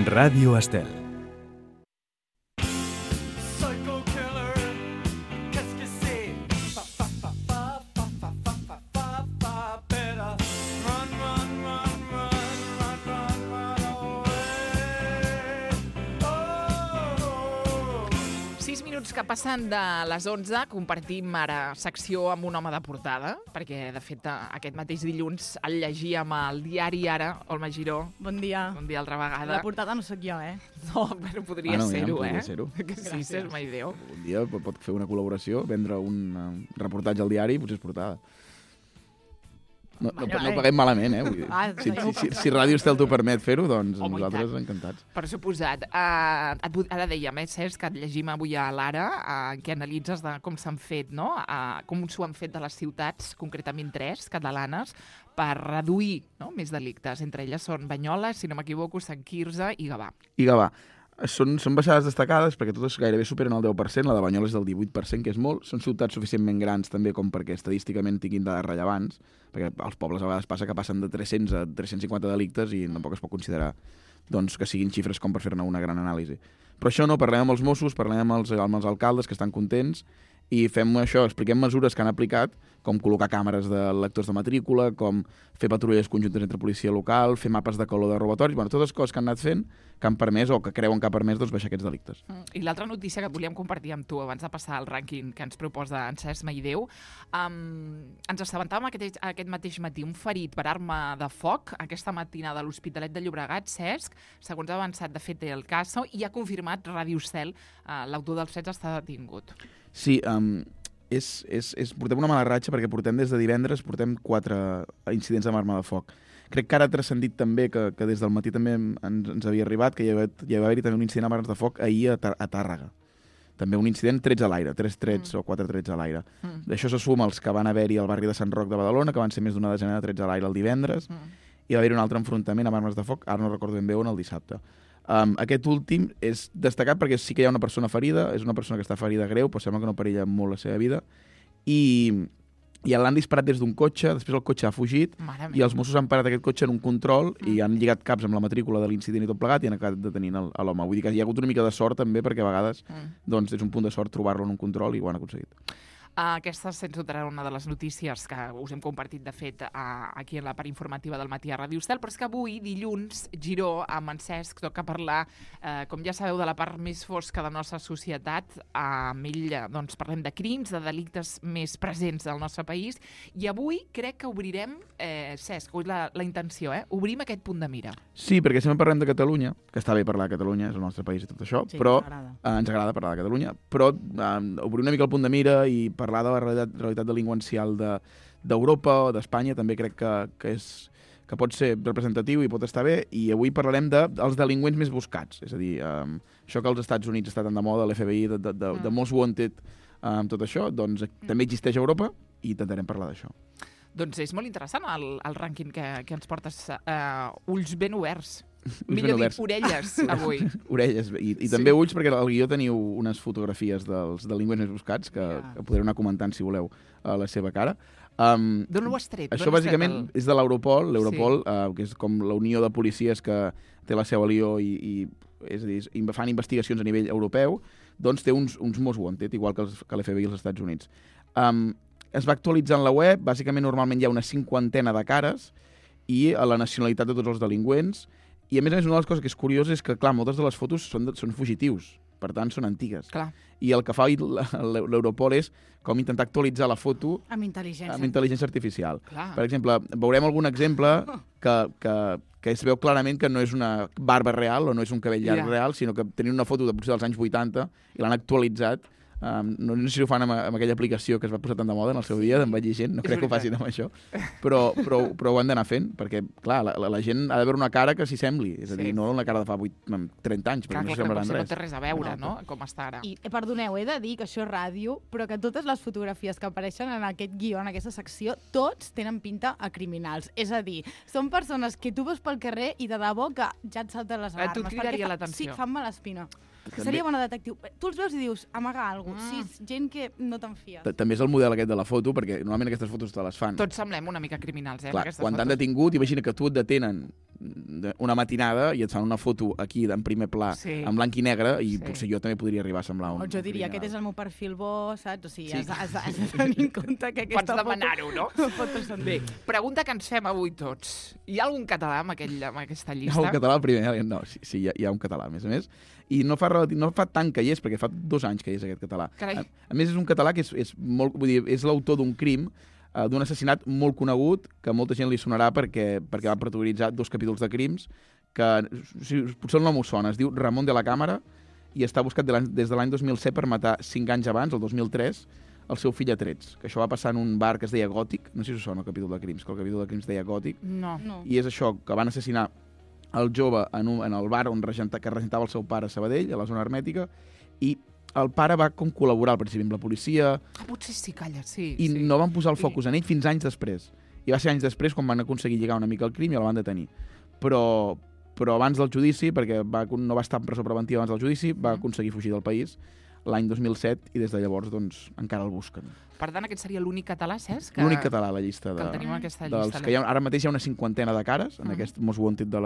Ràdio Estel. Que passen de les 11, compartim ara secció amb un home de portada, perquè, de fet, aquest mateix dilluns el llegíem al diari Ara, Olma Giró. Bon dia. Bon dia altra vegada. La portada no sóc jo, No, però podria ser-ho, podria ser-ho. Que sí, és una idea. Un dia pot fer una col·laboració, vendre un reportatge al diari i potser és portada. No paguem malament, Vull dir, si Ràdio Estel t'ho permet fer-ho, doncs nosaltres encantats. Per suposat. Ara dèiem, Cesc, que et llegim avui a l'Ara, que analitzes com s'han fet, no? Com s'ho han fet de les ciutats, concretament 3 catalanes, per reduir més delictes. Entre elles són Banyoles, si no m'equivoco, Sant Quirze i Gavà. I Gavà. Són baixades destacades perquè totes gairebé superen el 10%, la de Banyoles és del 18%, que és molt. Són ciutats suficientment grans també com perquè estadísticament tinguin dades rellevants, perquè als pobles a vegades passa que passen de 300 a 350 delictes i tampoc es pot considerar que siguin xifres com per fer-ne una gran anàlisi. Però això no, parlem amb els Mossos, parlem amb els alcaldes que estan contents i fem això, expliquem mesures que han aplicat, com col·locar càmeres de lectors de matrícula, com fer patrulles conjuntes entre policia local, fer mapes de color de robatoris, totes les coses que han anat fent, que han permès o que creuen que ha permès baixar aquests delictes. I l'altra notícia que volíem compartir amb tu abans de passar al rànquing que ens proposa en Cesc Maideu, ens assabentàvem aquest mateix matí un ferit per arma de foc aquesta matinada a l'Hospitalet de Llobregat, Cesc, segons ha avançat de fet el cas, i ha confirmat Ràdio Estel, l'autor dels fets està detingut. Sí, portem una mala ratxa perquè portem des de divendres 4 incidents amb arma de foc. Crec que ara ha transcendit també que des del matí també ens havia arribat que hi va haver-hi també un incident amb armes de foc ahir a Tàrrega. També un incident 3 a l'aire, 3 trets o 4 trets a l'aire. D'això se suma els que van haver-hi al barri de Sant Roc de Badalona, que van ser més d'una desena de trets a l'aire el divendres, i va haver-hi un altre enfrontament amb armes de foc, ara no recordo ben bé on, el dissabte. Aquest últim és destacat perquè sí que hi ha una persona ferida, és una persona que està ferida greu, però sembla que no perilla molt la seva vida, i l'han disparat des d'un cotxe, després el cotxe ha fugit, i els Mossos han parat aquest cotxe en un control i han lligat caps amb la matrícula de l'incident i tot plegat i han acabat detenint l'home. Vull dir que hi ha hagut una mica de sort també, perquè a vegades és un punt de sort trobar-lo en un control i ho han aconseguit. Aquesta, sens dubte, era una de les notícies que us hem compartit, de fet, aquí en la part informativa del matí a Ràdio Estel, però és que avui, dilluns, Giró, amb en Cesc, toca parlar, com ja sabeu, de la part més fosca de la nostra societat. Amb ell parlem de crims, de delictes més presents del nostre país, i avui crec que obrirem, Cesc, la intenció, obrim aquest punt de mira. Sí, perquè sempre parlem de Catalunya, que està bé parlar de Catalunya, és el nostre país i tot això, sí, però ens agrada parlar de Catalunya, però obrir una mica el punt de mira i parlar de la realitat delinqüencial d'Europa o d'Espanya també crec que pot ser representatiu i pot estar bé, i avui parlarem dels delinqüents més buscats, és a dir, això que als Estats Units està tan de moda, l'FBI, de Most Wanted, tot això, doncs també existeix a Europa i intentarem parlar d'això. Doncs és molt interessant el rànquing que ens portes, ulls ben oberts. Millor dit, orelles, avui. Orelles, i també ulls, perquè al guió teniu unes fotografies dels delinqüents més buscats, que podreu anar comentant, si voleu, a la seva cara. D'on ho has tret? Això, bàsicament, és de l'Europol, que és com la unió de policies que té la seu a Lió i és a dir, fan investigacions a nivell europeu, doncs té uns Most Wanted, igual que l'FBI als Estats Units. Es va actualitzant la web, bàsicament normalment hi ha una 50 de cares i a la nacionalitat de tots els delinqüents. I a més, una de les coses que és curiosa és que, clar, moltes de les fotos són fugitius, per tant, són antigues. Clar. I el que fa l'Europol és com intentar actualitzar la foto amb intel·ligència artificial. Clar. Per exemple, veurem algun exemple que es veu clarament que no és una barba real o no és un cabell llarg real, sinó que tenien una foto potser dels anys 80 i l'han actualitzat. No sé si ho fan amb aquella aplicació que es va posar tan de moda en el seu dia, d'envellir gent, no crec que ho facin amb això, però ho han d'anar fent, perquè, clar, la gent ha de veure una cara que s'hi sembli, és a dir, no una cara de fa 30 anys, perquè no s'hi semblaran res. No té res a veure, no?, com està ara. I, perdoneu, he de dir que això és ràdio, però que totes les fotografies que apareixen en aquest guió, en aquesta secció, tots tenen pinta a criminals. És a dir, són persones que tu veus pel carrer i de debò que ja et salten les alarmes. Tu cridaria l'atenció. Sí, fan mala espina. Que seria bona detectiu. Tu els veus i dius, amaga alguna cosa. Sí, gent que no te'n fies. També és el model aquest de la foto, perquè normalment aquestes fotos te les fan. Tots semblem una mica criminals, Clar, quan t'han detingut, imagina que tu et detenen una matinada i et fan una foto aquí en primer pla, en blanc i negre, i potser jo també podria arribar a semblar un... O jo diria, criminal. aquest és el meu perfil bo, saps? O sigui, has de tenir en compte que aquesta Pots demanar-ho, no? pot transcendir. Bé, pregunta que ens fem avui tots. Hi ha algun català amb aquesta Hi llista? ha un català el primer, no, sí, hi ha un català, a més. I no fa tant que hi és, perquè fa 2 anys que hi és aquest català. Carai. A més, és un català que és molt... Vull dir, és l'autor d'un crim, d'un assassinat molt conegut, que molta gent li sonarà perquè va protagonitzar 2 capítols de crims, que potser el nom us sona, es diu Ramon de la Cámara, i està buscat des de l'any 2007 per matar 5 anys abans, el 2003, el seu fill a trets, que això va passar en un bar que es deia Gòtic, no sé si us sona el capítol de crims, que el capítol de crims deia Gòtic, No. i és això, que van assassinar el jove en el bar que regentava el seu pare a Sabadell, a la zona hermètica, i el pare va com col·laborar al principi amb la policia, Potser sí, calla, sí. i no van posar el focus en ell fins anys després. I va ser anys després quan van aconseguir lligar una mica el crim i el van detenir. Però abans del judici, perquè no va estar en presó preventiva abans del judici, va aconseguir fugir del país l'any 2007 i des de llavors doncs, encara el busquen. Per tant, aquest seria l'únic català, Cesc? L'únic català a la llista. Que el tenim en aquesta dels llista. que ara mateix hi ha una 50ena de cares, en aquest Most Wanted de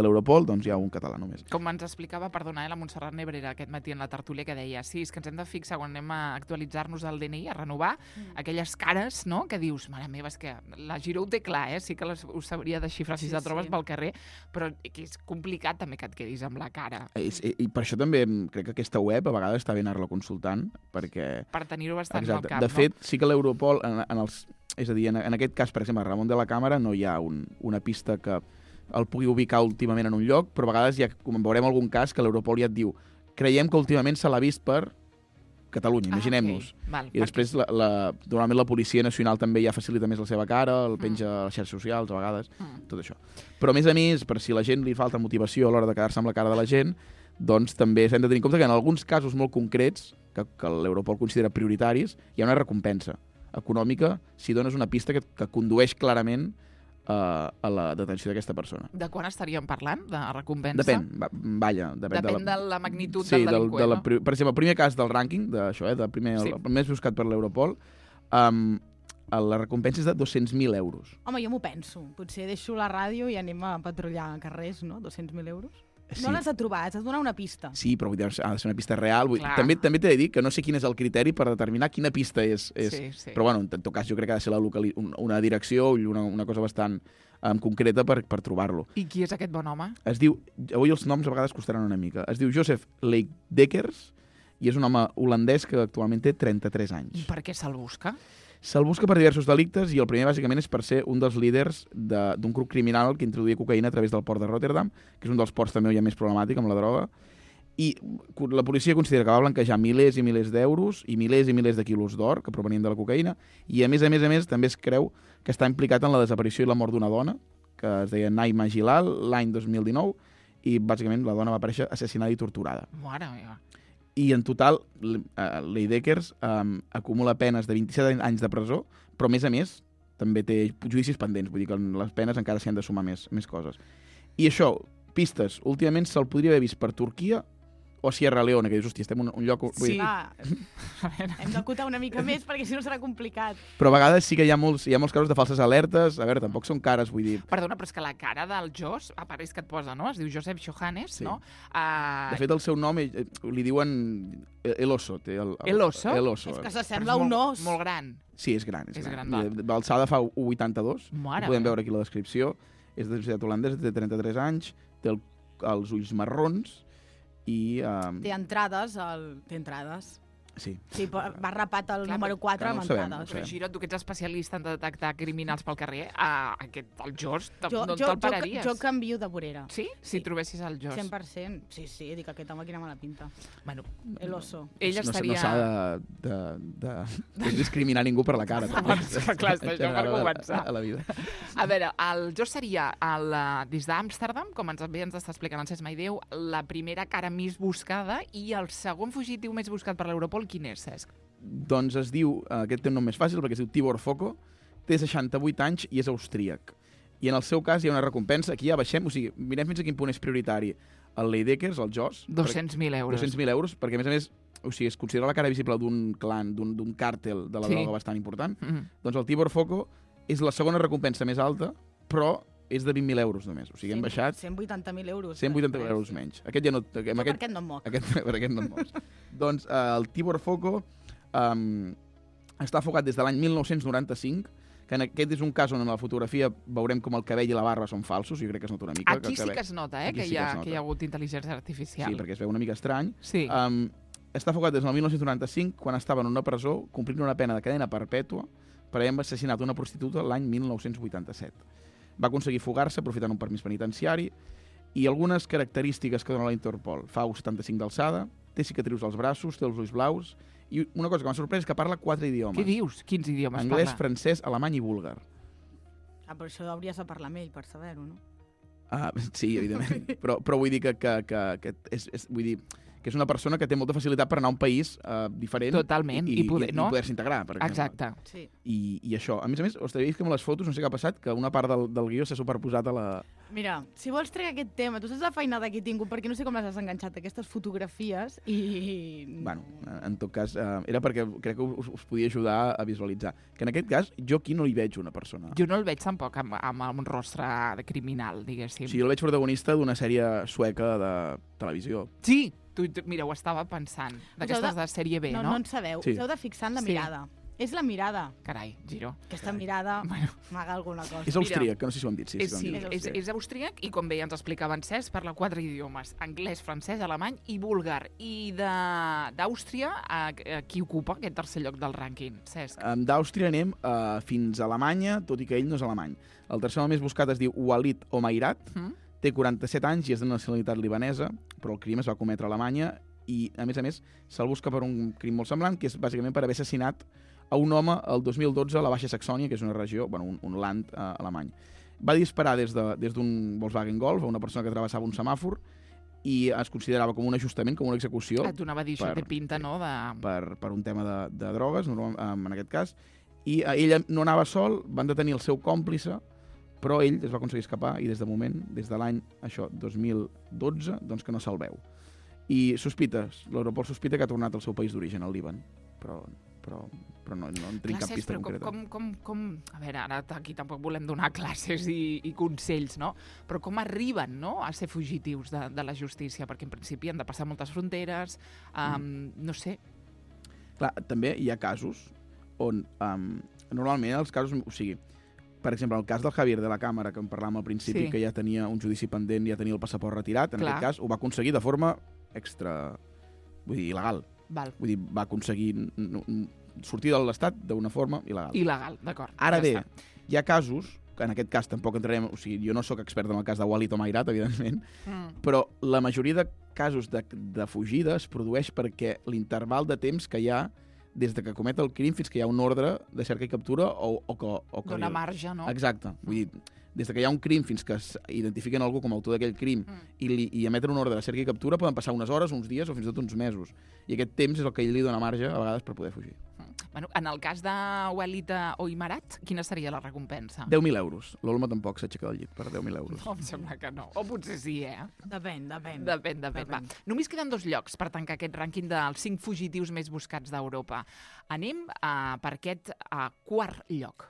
l'Europol, doncs hi ha un català només. Com ens explicava, perdona, la Montserrat Nebrera aquest matí en la tertúlia, que deia, sí, és que ens hem de fixar quan anem a actualitzar-nos el DNI, a renovar, aquelles cares, no?, que dius, mare meva, és que la Giró ho té clar, sí que us sabria desxifrar si la trobes pel carrer, però que és complicat també que et quedis amb la cara. I per això també crec que aquesta web a vegades està bé anar-la consultant, perquè... Per tenir-ho bastant al cap, de fet, sí que l'Europol, és a dir, en aquest cas, per exemple, a Ramon de la Cámara no hi ha una pista que el pugui ubicar últimament en un lloc, però a vegades com veurem algun cas que l'Europol ja et diu creiem que últimament se l'ha vist per Catalunya, imaginem-nos. I després, normalment la Policia Nacional també ja facilita més la seva cara, el penja a les xarxes socials, a vegades, tot això. Però a més, per si a la gent li falta motivació a l'hora de quedar-se amb la cara de la gent, doncs també s'han de tenir en compte que en alguns casos molt concrets, que l'Europol considera prioritaris, hi ha una recompensa econòmica si dones una pista que condueix clarament a la detenció d'aquesta persona. De quan estaríem parlant, de recompensa? Depèn, Depèn de la magnitud del delinqüent, no? Per exemple, el primer cas del rànquing, el més buscat per l'Europol, la recompensa és de 200.000 euros. Home, jo m'ho penso. Potser deixo la ràdio i anem a patrullar carrers, no? 200.000 euros? Sí. No l'has de trobar, has de donar una pista. Sí, però ha de ser una pista real. També t'he de dir que no sé quin és el criteri per determinar quina pista és. Sí. Però bueno, en tot cas jo crec que ha de ser una direcció o una cosa bastant concreta per trobar-lo. I qui és aquest bon home? Es diu, avui els noms a vegades costaran una mica, es diu Joseph Leekdekkers i és un home holandès que actualment té 33 anys. I per què se'l busca? Se'l busca per diversos delictes i el primer, bàsicament, és per ser un dels líders d'un grup criminal que introduïa cocaïna a través del port de Rotterdam, que és un dels ports també ja més problemàtic amb la droga, i la policia considera que va blanquejar milers i milers d'euros i milers de quilos d'or que provenien de la cocaïna, i a més, també es creu que està implicat en la desaparició i la mort d'una dona, que es deia Naima Gilal, l'any 2019, i bàsicament la dona va aparèixer assassinada i torturada. Mare meva. I en total, Leekdekkers acumula penes de 27 anys de presó, però a més també té judicis pendents, vull dir que les penes encara s'hi han de sumar més coses. I això, pistes, últimament se'l podria haver vist per Turquia o Sierra Leone, que dius, hòstia, estem en un lloc... Sí. Hem d'acotar una mica més perquè si no serà complicat. Però a vegades sí que hi ha molts casos de falses alertes. A veure, tampoc són cares, vull dir... Perdona, però és que la cara del Jos, apareix que et posa, no? Es diu Josep Johannes, sí. No? De fet, el seu nom li diuen El Oso. El Oso? El Oso. És que s'assembla a un os. Molt gran. Sí, és gran. L'alçada fa 1,82. Mare. Ho podem veure aquí la descripció. És de societat holandesa, té 33 anys, té els ulls marrons, i... Té entrades. Sí. Sí, va rapat el número 4 amb entrades. Però Giró, tu que ets especialista en detectar criminals pel carrer, el Jos, no te'l pararies. Jo canvio de vorera. Sí? Si trobessis el Jos. 100%. Sí, dic aquest home quina mala pinta. Bueno, El oso. Ell estaria... No s'ha de discriminar ningú per la cara. Clar, això per començar. A la vida. A veure, el Jos seria, des d'Amsterdam, com ens està explicant el Cesc Maideu, la primera cara més buscada i el segon fugitiu més buscat per l'Europol, quin és, Cesc? Doncs es diu, aquest té un nom més fàcil perquè es diu Tibor Foko, té 68 anys i és austríac. I en el seu cas hi ha una recompensa, aquí ja baixem, o sigui, mirem fins a quin punt és prioritari el Leekdekkers, el Jos. 200.000 euros. 200.000 euros, perquè a més, o sigui, es considera la cara visible d'un clan, d'un càrtel de la droga bastant important. Doncs el Tibor Foko és la segona recompensa més alta, però és de 20.000 euros només. O sigui, hem baixat 180.000 euros. 180.000 euros menys. Aquest ja no... Per aquest no em moc. Per aquest no et mocs. Doncs el Tibor Foco està afogat des de l'any 1995, que aquest és un cas on en la fotografia veurem com el cabell i la barba són falsos, jo crec que es nota una mica. Aquí sí que es nota, que hi ha hagut intel·ligència artificial. Sí, perquè es veu una mica estrany. Sí. Està afogat des del 1995, quan estava en una presó complint una pena de cadena perpètua per haver assassinat una prostituta l'any 1987. Va aconseguir fugar-se aprofitant un permís penitenciari i algunes característiques que dona la Interpol. Fa 1,75 d'alçada, té cicatrius als braços, té els ulls blaus i una cosa que m'ha sorprès és que parla 4 idiomes. Què dius? Quins idiomes Anglès, parla? francès, alemany i búlgar. Però això hauries de parlar amb ell per saber-ho, no? Sí, evidentment. però vull dir que vull dir que és una persona que té molta facilitat per anar a un país diferent. Totalment, i poder-se integrar, per exemple. Exacte. Sí. I això. A més, us t'havia dit que amb les fotos, no sé què ha passat, que una part del guió s'ha superposat a la... Mira, si vols treure aquest tema, tu saps la feina que he tingut, perquè no sé com les has enganxat, aquestes fotografies, i... Bueno, en tot cas, era perquè crec que us podia ajudar a visualitzar. Que en aquest cas, jo aquí no hi veig una persona. Jo no el veig tampoc amb un rostre criminal, diguéssim. Sí, jo el veig protagonista d'una sèrie sueca de televisió. Sí! Mira, ho estava pensant. D'aquestes de sèrie B, no? No en sabeu. Sí. Us heu de fixar en la mirada. És la mirada. Carai, Giro. Aquesta mirada m'aga alguna cosa. És austríac, que no sé si ho hem dit. És austríac i, com bé ja ens explicava en Cesc, parla 4 idiomes. Anglès, francès, alemany i búlgar. I d'Àustria, qui ocupa aquest tercer lloc del rànquing, Cesc? D'Àustria anem fins a Alemanya, tot i que ell no és alemany. El tercer home més buscat es diu Walid Omairat, té 47 anys i és de nacionalitat libanesa, però el crim es va cometre a Alemanya i, a més, se'l busca per un crim molt semblant, que és bàsicament per haver assassinat a un home el 2012 a la Baixa Saxònia, que és una regió, un land alemany. Va disparar des d'un Volkswagen Golf a una persona que travessava un semàfor i es considerava com un ajustament, com una execució. Et donava a dir, això té pinta, no? Per un tema de drogues, en aquest cas. I ell no anava sol, van detenir el seu còmplice, però ell es va aconseguir escapar i des de moment, des de l'any 2012, doncs que no se'l veu. I l'Europol sospita que ha tornat al seu país d'origen, al Líban, però no en tenim cap pista concreta. A veure, ara aquí tampoc volem donar classes i consells, no? Però com arriben, no?, a ser fugitius de la justícia? Perquè en principi han de passar moltes fronteres, no sé. Clar, també hi ha casos on normalment els casos, o sigui, per exemple, el cas del Javier de la Càmera, que en parlàvem al principi, que ja tenia un judici pendent, ja tenia el passaport retirat, en aquest cas ho va aconseguir de forma il·legal. Vull dir, va aconseguir sortir de l'Estat d'una forma il·legal. Il·legal, d'acord. Ara bé, hi ha casos, que en aquest cas tampoc entrarem, o sigui, jo no sóc expert en el cas de Walid Omairat, evidentment, però la majoria de casos de fugida es produeix perquè l'interval de temps que hi ha des de que comet el crim fins que hi ha un ordre de cerca i captura o que... Dona marge, no? Exacte. Vull dir, des que hi ha un crim fins que identifiquen algú com a autor d'aquell crim i emeten un ordre de cerca i captura poden passar unes hores, uns dies o fins i tot uns mesos. I aquest temps és el que ell li dona marge a vegades per poder fugir. Bueno, en el cas de Walid Omairat, quina seria la recompensa? 10.000 euros. L'Olma tampoc s'aixeca del llit per 10.000 euros. No, em sembla que no. O potser sí, Depèn. Va. Només queden 2 llocs per tancar aquest rànquing dels 5 fugitius més buscats d'Europa. Anem per aquest 4è lloc.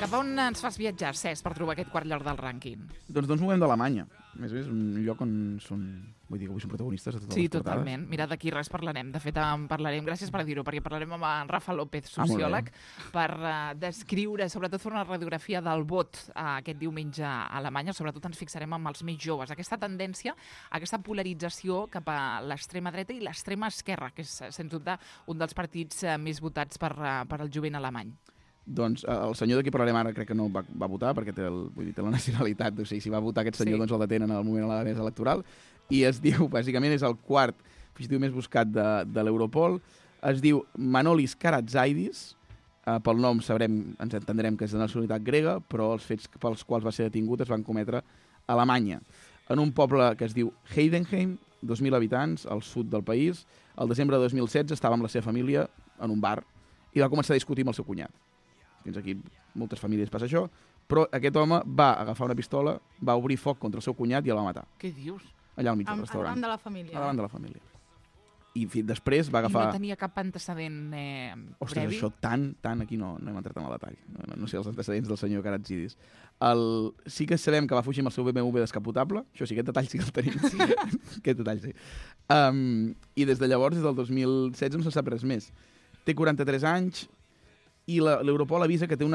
Cap a on ens fas viatjar, Cesc, per trobar aquest 4è lloc del rànquing? Doncs no ens movem d'Alemanya. A més, és un lloc on són... Vull dir que avui són protagonistes de totes les portades. Sí, totalment. Mira, d'aquí res parlarem. De fet, en parlarem, gràcies per dir-ho, perquè parlarem amb en Rafa López, sociòleg, per descriure, sobretot fer una radiografia del vot aquest diumenge a Alemanya. Sobretot ens fixarem amb els més joves. Aquesta tendència, aquesta polarització cap a l'extrema dreta i l'extrema esquerra, que és, sens dubte, un dels partits més votats per al jovent alemany. Doncs el senyor de qui parlarem ara crec que no va votar perquè té la nacionalitat, o sigui, si va votar aquest senyor doncs el detenen en el moment de la mesa electoral i es diu, bàsicament és el 4è fugitiu més buscat de l'Europol, es diu Manolis Karatzaides, pel nom ens entendrem que és de nacionalitat grega, però els fets pels quals va ser detingut es van cometre a Alemanya, en un poble que es diu Heidenheim, 2.000 habitants, al sud del país. El desembre de 2016 estava amb la seva família en un bar i va començar a discutir amb el seu cunyat. Fins aquí moltes famílies passa això, però aquest home va agafar una pistola, va obrir foc contra el seu cunyat i el va matar, Què dius? allà al mig del restaurant. Davant de la família. Davant de la família. I després va I agafar... no tenia cap antecedent Ostres, previ? això tant aquí no hem entrat en el detall. No sé els antecedents del senyor Karatzidis. Sí que sabem que va fugir amb el seu BMW descapotable. Això sí, aquest detall sí que el tenim. Sí. Aquest detall sí. I des de llavors, des del 2016, no se sap res més. Té 43 anys i l'Europol avisa que té una